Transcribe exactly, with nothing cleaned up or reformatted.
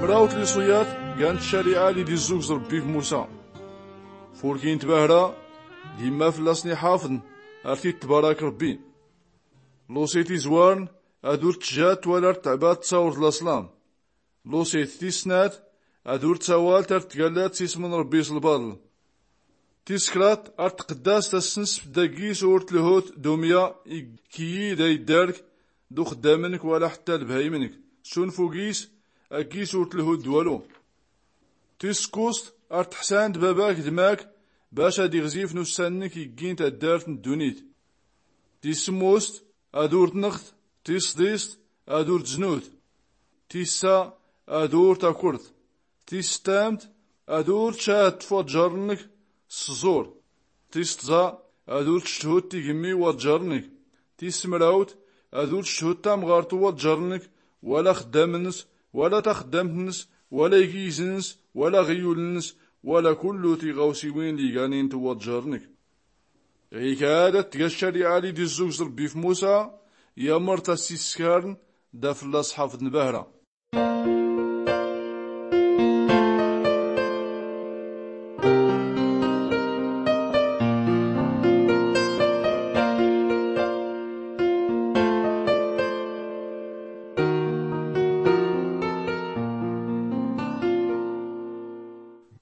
Mrawt liṣuyat gan ccariɛa li d-izzugẓ rbbi f-musa. Furkin tbahra d-imma fllasn-iḥafḍn ar-t-itbarak rbbi. Lusit izwarn ad-ur-tjat wala ar-tɛbad d-tawrt laṣlam. Lusit tis-snat ad-ur-tawalt ar-tgallat s-ism n-rbbi s-lbaḍl. Tis-kraḍt ar-tqdast assnsft d-agis ur-tlhut d-umya i-kiyyi d-ayddark d-uxddam-nk wala ḥtta lbhayim-nk s-unfug-is, agis ur-tlhut d-walu. Tis-kkuẓt ar-tḥsand babak d-mak bac ad-iɣzif n-ussan-nk i-ggin taddart n-ddunit. Tis-smmust ad-ur-tnɣt. Tis-sḍist ad-ur-tznut. Tis-ssa ad-ur-takrt. Tis-stamt ad-ur-tcaht f-waǧǧar-nk s-ẓẓur. Tis-tẓa ad-ur-tcthut tigmmi n-waǧǧar-nk. Tis-smrawt ad-ur-tcthut tamɣart n-waǧǧar-nk wala axddam-ns wala taxddamt-ns wala igiz-ns wala aɣyul-ns wala kullu tiɣawsiwin liganint n-waǧǧar-nk. Ɣikad ad-tga ccariɛa li d-izzugẓ rbbi f-musa, yamr-t a-s-iskarn da fllas-ḥafḍ n-bahra.